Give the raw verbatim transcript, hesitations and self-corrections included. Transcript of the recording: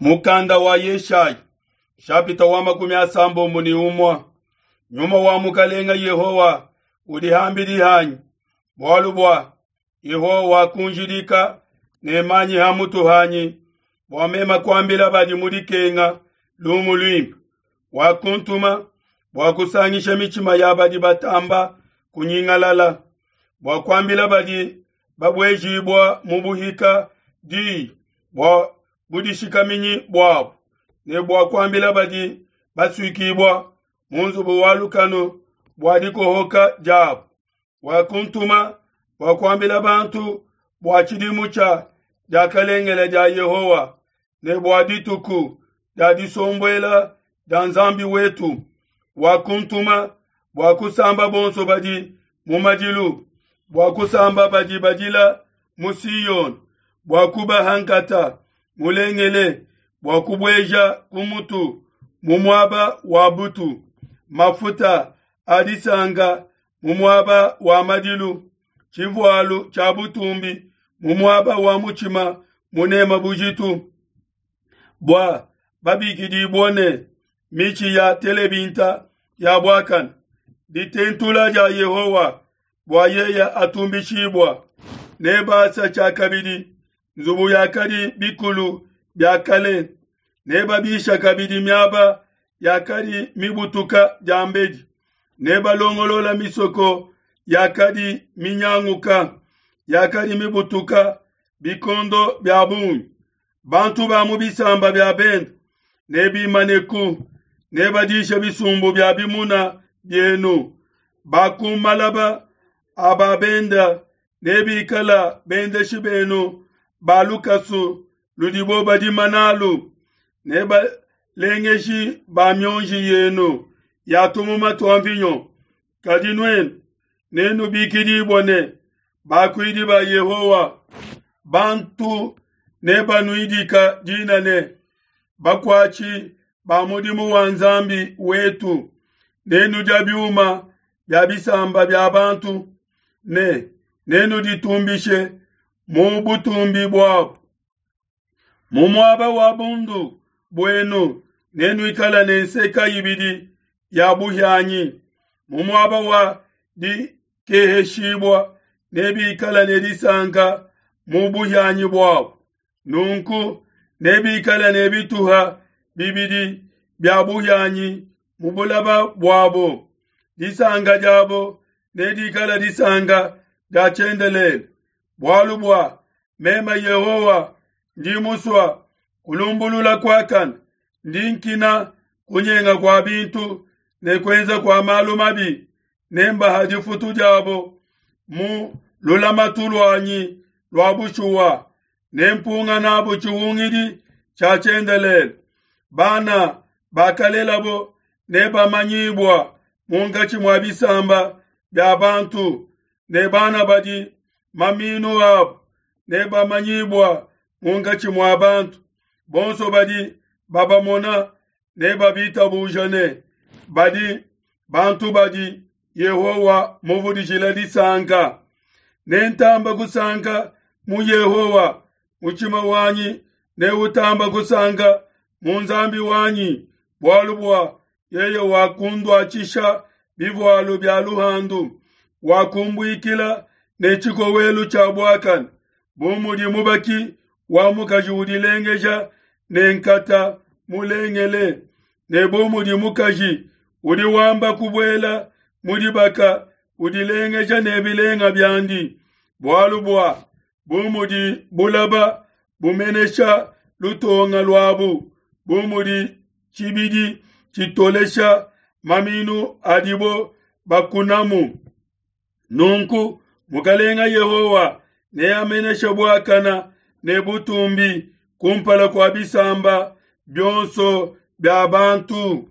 Mukanda wa Yeshaya shapita wa makumi asambombo ne umue. Nyuma wa mukalenga Yehowa udi hambidi hanyi, bualu bua Yehowa wakunjidika ne manyi ha mutu hanyi bua mema kuambila badi mu dikenga lumu luimpe. Wakuntuma bua kusangisha mitshima ya badi batamba kunyingalala, bua kuambila badi babuejibua mu buhika diyi bua budishikaminyi buabu, ne bua kuambila badi basuikibua mu nzubu wa lukanu bua dikohoka diabu. Wakuntuma bua kuambila bantu bua tshidimu tshia diakalengele dia Yehowa ne bua dituku dia disombuela dia Nzambi wetu. Wakuntuma bua kusamba bonso badi mu madilu, bua kusamba badi badila mu Siyone, bua kubaha nkata mulengele, bua kubueja ku mutu mu muaba wa butu, mafuta a disanka mu muaba wa madilu, tshivualu tshia butumbi mu muaba wa mutshima munema bujitu, bua babikidibue ne mitshi ya telebinta ya buakane, ditentula dia Yehowa bua yeye atumbishibua. Nebasa tshiakabidi nzubu yakadi bikulu bia kale, nebabisha kabidi miaba yakadi mibutuka diambedi, nebalongolola misoko yakadi minyanguka, yakadi mibutuka bikondo bia bungi. Bantu ba mu bisamba bia bende nebimaneku, nebadishe bisumbu bia bimuna bienu. Ba ku malaba aba benda nebikala bendeshi benu ba lukasu ludibo badima nalu, nebalengeshi ba mionji yenu ya tumuma tua mvinyo. Kadi nuenu nenubikidibue ne bakuidi ba Yehowa, bantu nebanuidika dina ne bakuatshi ba mudimu wa Nzambi wetu. Nenudia biuma bia bisamba bia bantu, ne nenuditumbishe mu butumbi buabu. Mu muaba wa bundu buenu nenuikala ne nseka ibidi ya buhianyi, mu muaba wa dikeheshibua nebikala ne disanka mu buhianyi buabu. Nunku nebikala ne bituha bibidi bia buhianyi mu bulaba buabo. Disanka diabo nedikala disanka dia tshiendelele, bualu bua meme Yehowa ndi musua kulumbulula kuakane, ndi nkina kunyenga kua bintu ne kuenza kua malu mabi. Nembaha difutu diabo mu lulamatu luanyi lua bushuwa, nempunga nabo tshihungidi tshia tshiendelele. Bana bakalelabo nebamanyibua munkatshi mua bisamba bia bantu, ne bana badi maminu abo nebamanyibua munkatshi mua bantu. Bonso badi babamona nebabitabuja ne badi bantu badi Yehowa muvudijila disanka. Nentamba kusanka mu Yehowa, mutshima wanyi neutamba kusanka mu Nzambi wanyi, bualu bua yeye wakunduatshisha bivualu bia luhandu, wakumbuikila ne tshikowelu tshia buakane, bu mudi mubaki wa mukaji udilengeja ne nkata mulengele, ne bu mudi mukaji udi wamba kubuela mu dibaka udilengeja ne bilenga biandi. Bualu bua bu mudi bulaba bumenesha lutonga luabu, bu mudi tshibidi tshitolesha maminu adibo bakunamu, nunku mukalenga Yehowa neameneshe buakana ne butumbi kumpala kua bisamba bionso bia bantu.